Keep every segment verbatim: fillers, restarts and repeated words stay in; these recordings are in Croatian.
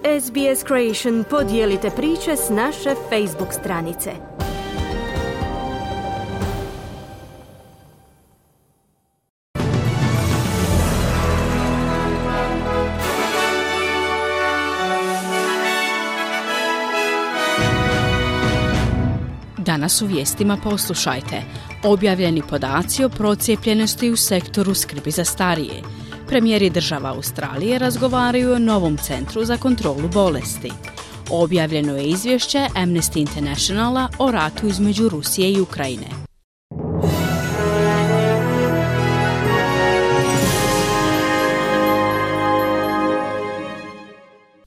S B S Creation podijelite priče s naše Facebook stranice. Danas u vijestima poslušajte. Objavljeni podaci o procijepljenosti u sektoru skrbi za starije. Premijeri država Australije razgovaraju o novom centru za kontrolu bolesti. Objavljeno je izvješće Amnesty Internationala o ratu između Rusije i Ukrajine.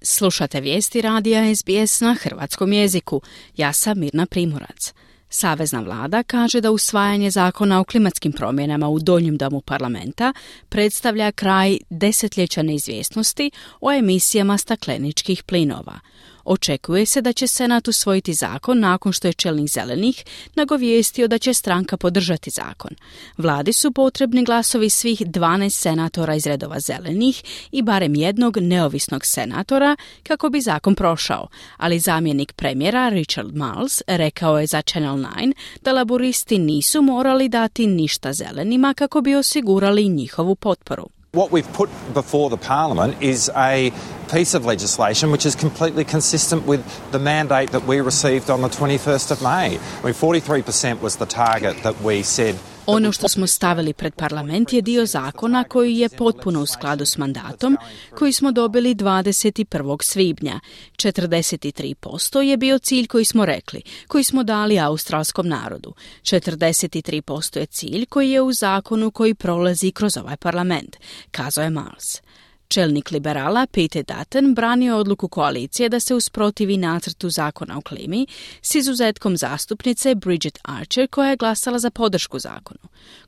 Slušate vijesti radija S B S na hrvatskom jeziku. Ja sam Mirna Primorac. Savezna vlada kaže da usvajanje zakona o klimatskim promjenama u donjem domu parlamenta predstavlja kraj desetljeća neizvjesnosti o emisijama stakleničkih plinova. Očekuje se da će Senat usvojiti zakon nakon što je čelnik Zelenih nagovijestio da će stranka podržati zakon. Vladi su potrebni glasovi svih dvanaest senatora iz redova Zelenih i barem jednog neovisnog senatora kako bi zakon prošao, ali zamjenik premijera Richard Marles rekao je za Channel nine da laboristi nisu morali dati ništa Zelenima kako bi osigurali njihovu potporu. What we've put before the Parliament is a piece of legislation which is completely consistent with the mandate that we received on the twenty-first of May. I mean, forty-three percent was the target that we said. Ono što smo stavili pred parlament je dio zakona koji je potpuno u skladu s mandatom koji smo dobili dvadeset prvog svibnja. četrdeset tri posto je bio cilj koji smo rekli, koji smo dali australskom narodu. četrdeset tri posto je cilj koji je u zakonu koji prolazi kroz ovaj parlament, kazao je Marles. Čelnik liberala Peter Dutton branio odluku koalicije da se usprotivi nacrtu zakona o klimi s izuzetkom zastupnice Bridget Archer koja je glasala za podršku zakonu.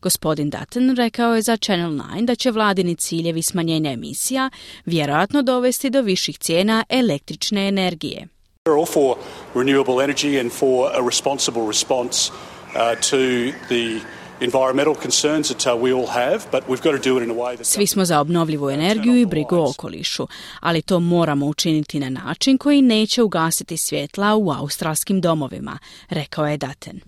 Gospodin Dutton rekao je za Channel nine da će vladini ciljevi smanjenja emisija vjerojatno dovesti do viših cijena električne energije. We're all for renewable energy and for a responsible response uh, to the environmental concerns that uh, we all have, but we've got to do it in a way that... Svi smo za obnovljivu energiju i brigu o okolišu, ali to moramo učiniti na način koji neće ugasiti svjetla u australskim domovima, rekao je Dutton.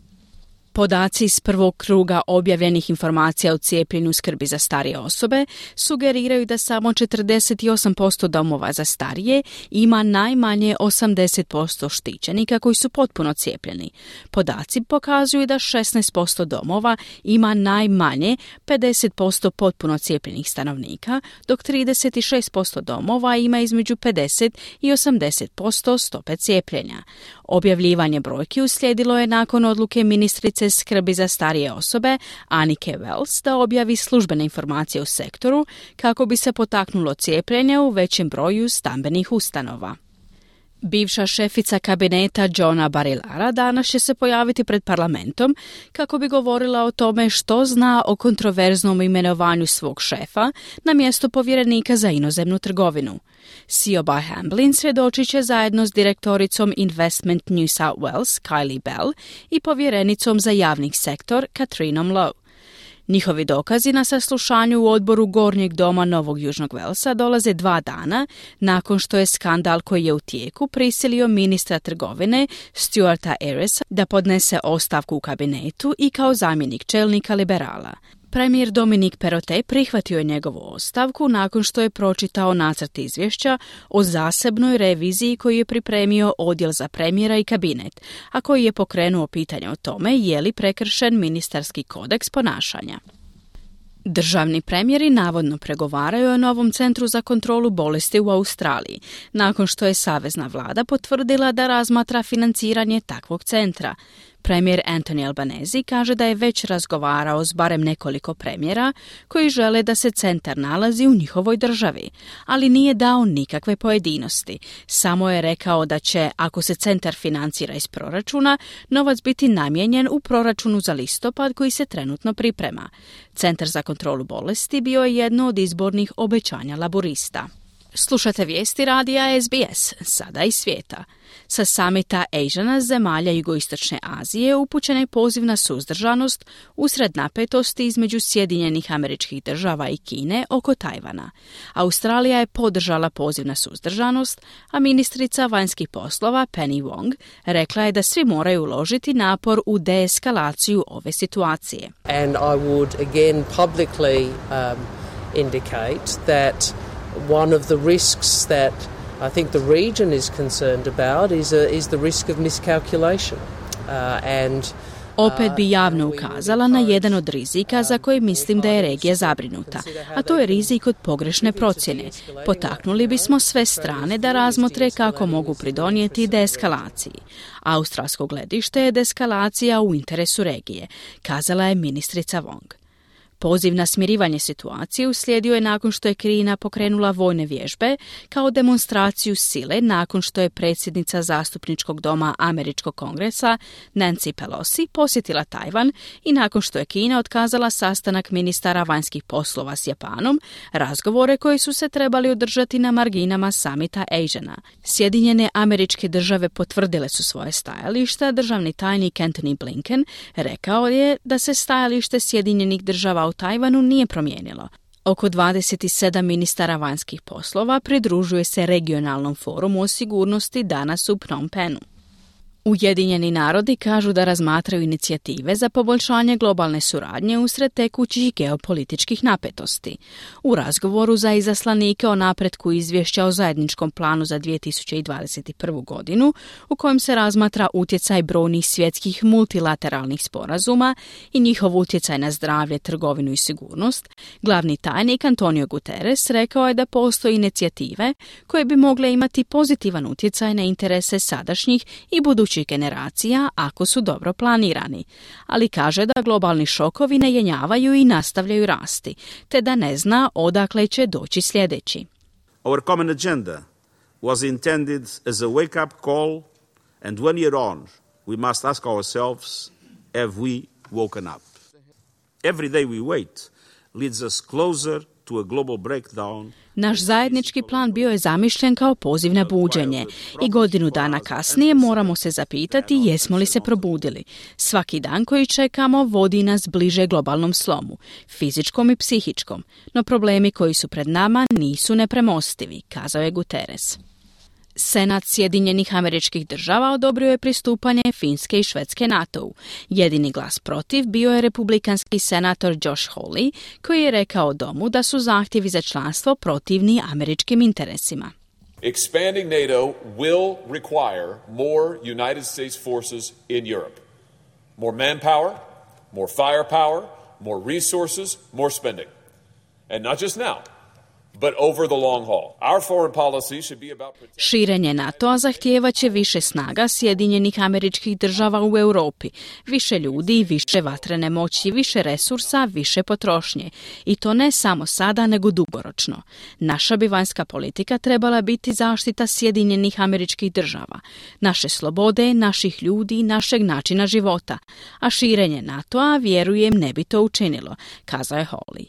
Podaci iz prvog kruga objavljenih informacija o cijepljenju skrbi za starije osobe sugeriraju da samo četrdeset osam posto domova za starije ima najmanje osamdeset posto štićenika koji su potpuno cijepljeni. Podaci pokazuju da šesnaest posto domova ima najmanje pedeset posto potpuno cijepljenih stanovnika, dok trideset šest posto domova ima između pedeset i osamdeset posto stope cijepljenja. Objavljivanje brojki uslijedilo je nakon odluke ministrice skrbi za starije osobe Annike Wells da objavi službene informacije u sektoru kako bi se potaknulo cijepljenje u većem broju stambenih ustanova. Bivša šefica kabineta Johna Barillara danas će se pojaviti pred parlamentom kako bi govorila o tome što zna o kontroverznom imenovanju svog šefa na mjesto povjerenika za inozemnu trgovinu. Siobhan Hamblin svjedočit će zajedno s direktoricom Investment New South Wales Kylie Bell i povjerenicom za javni sektor Katrinom Lowe. Njihovi dokazi na saslušanju u odboru Gornjeg doma Novog Južnog Velsa dolaze dva dana nakon što je skandal koji je u tijeku prisilio ministra trgovine Stuarta Ayres da podnese ostavku u kabinetu i kao zamjenik čelnika liberala. Premijer Dominic Perrottet prihvatio je njegovu ostavku nakon što je pročitao nacrt izvješća o zasebnoj reviziji koju je pripremio odjel za premijera i kabinet, a koji je pokrenuo pitanje o tome je li prekršen ministarski kodeks ponašanja. Državni premijeri navodno pregovaraju o novom centru za kontrolu bolesti u Australiji, nakon što je savezna vlada potvrdila da razmatra financiranje takvog centra. Premijer Anthony Albanese kaže da je već razgovarao s barem nekoliko premijera koji žele da se centar nalazi u njihovoj državi, ali nije dao nikakve pojedinosti. Samo je rekao da će, ako se centar financira iz proračuna, novac biti namijenjen u proračunu za listopad koji se trenutno priprema. Centar za kontrolu bolesti bio je jedno od izbornih obećanja laborista. Slušate vijesti radija S B S, sada i svijeta. Sa samita Asiana zemalja jugoistočne Azije upućen je poziv na suzdržanost usred napetosti između Sjedinjenih Američkih Država i Kine oko Tajvana. Australija je podržala poziv na suzdržanost, a ministrica vanjskih poslova Penny Wong rekla je da svi moraju uložiti napor u deeskalaciju ove situacije. And I would again publicly um, indicate that one of the risks that I think the region is concerned about is, a, is the risk of miscalculation. Uh, and Opet bi javno ukazala na jedan od rizika za koji mislim da je regija zabrinuta, a to je rizik od pogrešne procjene. Potaknuli bismo sve strane da razmotre kako mogu pridonijeti deeskalaciji. Australsko gledište je deeskalacija u interesu regije, kazala je ministrica Wong. Poziv na smirivanje situacije uslijedio je nakon što je Kina pokrenula vojne vježbe kao demonstraciju sile nakon što je predsjednica zastupničkog doma Američkog kongresa Nancy Pelosi posjetila Tajvan i nakon što je Kina otkazala sastanak ministara vanjskih poslova s Japanom, razgovore koji su se trebali održati na marginama samita Asiana. Sjedinjene Američke Države potvrdile su svoje stajališta. Državni tajnik Antony Blinken rekao je da se stajalište Sjedinjenih Država u Tajvanu nije promijenilo. Oko dvadeset sedam ministara vanjskih poslova pridružuje se regionalnom forumu o sigurnosti danas u Phnom Penhu. Ujedinjeni narodi kažu da razmatraju inicijative za poboljšanje globalne suradnje usred tekućih geopolitičkih napetosti. U razgovoru za izaslanike o napretku izvješća o zajedničkom planu za dvije tisuće dvadeset prvu. godinu, u kojem se razmatra utjecaj brojnih svjetskih multilateralnih sporazuma i njihov utjecaj na zdravlje, trgovinu i sigurnost, glavni tajnik Antonio Guterres rekao je da postoje inicijative koje bi mogle imati pozitivan utjecaj na interese sadašnjih i budućih generacija ako su dobro planirani, ali kaže da globalni šokovi ne jenjavaju i nastavljaju rasti, te da ne zna odakle će doći sljedeći. Our common agenda was intended as a wake-up call, and one year on, we must ask ourselves, have we woken up? Every day we wait leads us closer to a global breakdown. Naš zajednički plan bio je zamišljen kao poziv na buđenje i godinu dana kasnije moramo se zapitati jesmo li se probudili. Svaki dan koji čekamo vodi nas bliže globalnom slomu, fizičkom i psihičkom, no problemi koji su pred nama nisu nepremostivi, kazao je Guterres. Senat Sjedinjenih Američkih Država odobrio je pristupanje Finske i Švedske NATO-u. Jedini glas protiv bio je republikanski senator Josh Hawley, koji je rekao domu da su zahtjevi za članstvo protivni američkim interesima. Expanding NATO will require more United States forces in Europe. More manpower, more firepower, more resources, more spending. And not just now, but over the long haul. Our foreign policy should be about protecting... Širenje NATO-a zahtijevaće više snaga Sjedinjenih Američkih Država u Europi, više ljudi, više vatrene moći, više resursa, više potrošnje. I to ne samo sada, nego dugoročno. Naša bi vanjska politika trebala biti zaštita Sjedinjenih Američkih Država, naše slobode, naših ljudi, našeg načina života. A širenje NATO-a, vjerujem, ne bi to učinilo, kazao je Hawley.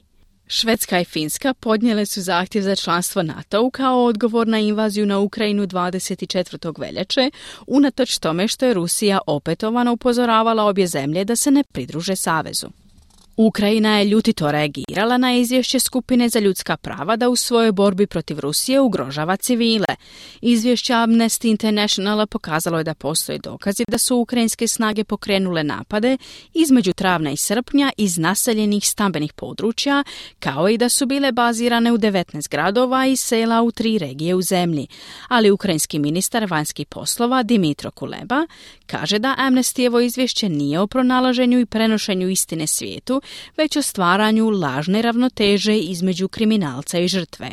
Švedska i Finska podnijele su zahtjev za članstvo NATO-u kao odgovor na invaziju na Ukrajinu dvadeset četvrtog veljače, unatoč tome što je Rusija opetovano upozoravala obje zemlje da se ne pridruže savezu. Ukrajina je ljutito reagirala na izvješće skupine za ljudska prava da u svojoj borbi protiv Rusije ugrožava civile. Izvješće Amnesty Internationala pokazalo je da postoje dokazi da su ukrajinske snage pokrenule napade između travnja i srpnja iz naseljenih stambenih područja, kao i da su bile bazirane u devetnaest gradova i sela u tri regije u zemlji. Ali ukrajinski ministar vanjskih poslova Dmytro Kuleba kaže da Amnestyjevo izvješće nije o pronalaženju i prenošenju istine svijetu, već o stvaranju lažne ravnoteže između kriminalca i žrtve.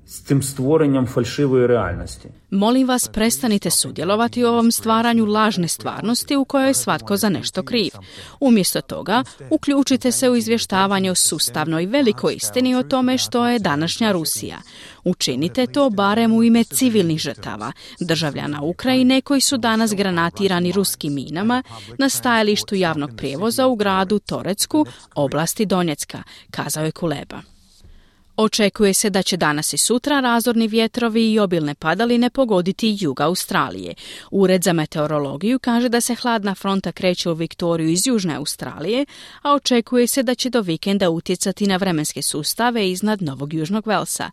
S tim stvorenjem falšivoj realnosti. Molim vas, prestanite sudjelovati u ovom stvaranju lažne stvarnosti u kojoj je svatko za nešto kriv. Umjesto toga, uključite se u izvještavanje o sustavnoj velikoj istini o tome što je današnja Rusija. Učinite to barem u ime civilnih žrtava, državljana Ukrajine koji su danas granatirani ruskim minama na stajalištu javnog prijevoza u gradu Torecku, oblasti Donjecka, kazao je Kuleba. Očekuje se da će danas i sutra razorni vjetrovi i obilne padaline pogoditi jug Australije. Ured za meteorologiju kaže da se hladna fronta kreće u Viktoriju iz južne Australije, a očekuje se da će do vikenda utjecati na vremenske sustave iznad Novog Južnog Velsa.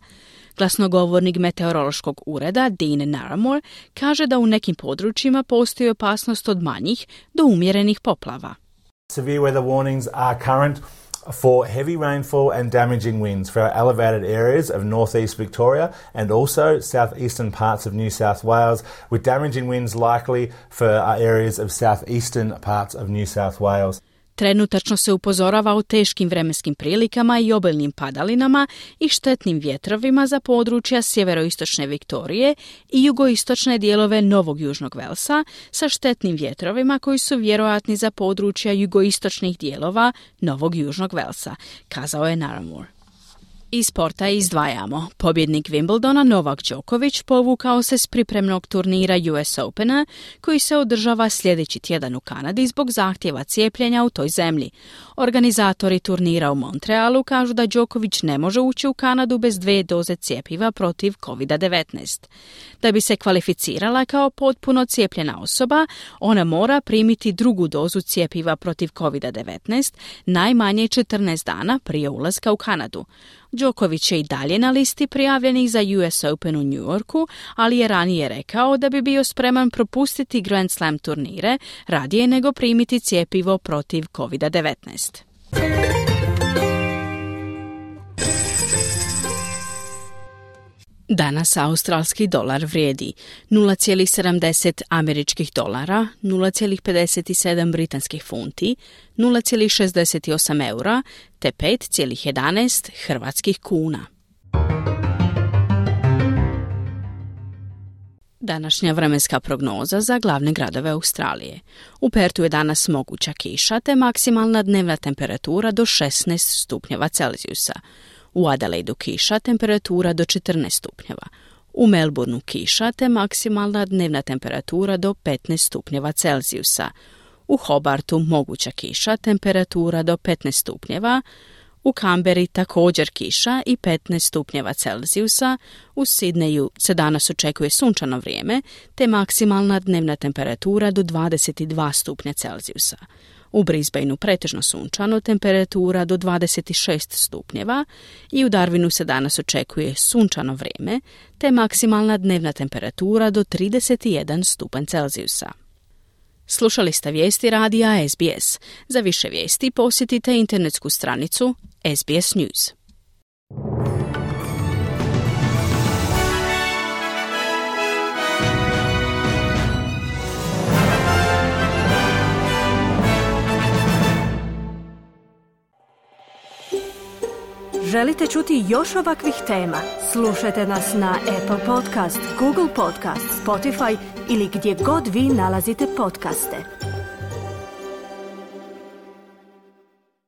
Glasnogovornik meteorološkog ureda Dean Naramore kaže da u nekim područjima postoji opasnost od manjih do umjerenih poplava. Severe weather warnings are current for heavy rainfall and damaging winds for our elevated areas of northeast Victoria and also southeastern parts of New South Wales, with damaging winds likely for our areas of southeastern parts of New South Wales. Trenutačno se upozorava o teškim vremenskim prilikama i obilnim padalinama i štetnim vjetrovima za područja sjeveroistočne Viktorije i jugoistočne dijelove Novog Južnog Velsa sa štetnim vjetrovima koji su vjerojatni za područja jugoistočnih dijelova Novog Južnog Velsa, kazao je Naramore. Iz sporta izdvajamo. Pobjednik Wimbledona Novak Đoković povukao se s pripremnog turnira U S Opena koji se održava sljedeći tjedan u Kanadi zbog zahtjeva cijepljenja u toj zemlji. Organizatori turnira u Montrealu kažu da Đoković ne može ući u Kanadu bez dvije doze cjepiva protiv kovid devetnaest. Da bi se kvalificirala kao potpuno cijepljena osoba, ona mora primiti drugu dozu cjepiva protiv kovid devetnaest najmanje četrnaest dana prije ulaska u Kanadu. Đoković je i dalje na listi prijavljenih za U S Open u New Yorku, ali je ranije rekao da bi bio spreman propustiti Grand Slam turnire radije nego primiti cjepivo protiv kovid devetnaest. Danas australski dolar vrijedi nula zarez sedamdeset američkih dolara, nula zarez pedeset sedam britanskih funti, nula zarez šezdeset osam eura te pet zarez jedanaest hrvatskih kuna. Današnja vremenska prognoza za glavne gradove Australije. U Pertu je danas moguća kiša te maksimalna dnevna temperatura do šesnaest stupnjeva Celzijusa. U Adelaidu kiša, temperatura do četrnaest stupnjeva. U Melbourneu kiša te maksimalna dnevna temperatura do petnaest stupnjeva Celzijusa. U Hobartu moguća kiša, temperatura do petnaest stupnjeva. U Canberri također kiša i petnaest stupnjeva Celzijusa. U Sidneju se danas očekuje sunčano vrijeme te maksimalna dnevna temperatura do dvadeset dva stupnja Celzijusa. U Brisbaneu pretežno sunčano, temperatura do dvadeset šest stupnjeva i u Darwinu se danas očekuje sunčano vrijeme te maksimalna dnevna temperatura do trideset jedan stupanj Celzijusa. Slušali ste vijesti radija S B S. Za više vijesti posjetite internetsku stranicu S B S News. Želite čuti još ovakvih tema? Slušajte nas na Apple Podcast, Google Podcast, Spotify ili gdje god vi nalazite podcaste.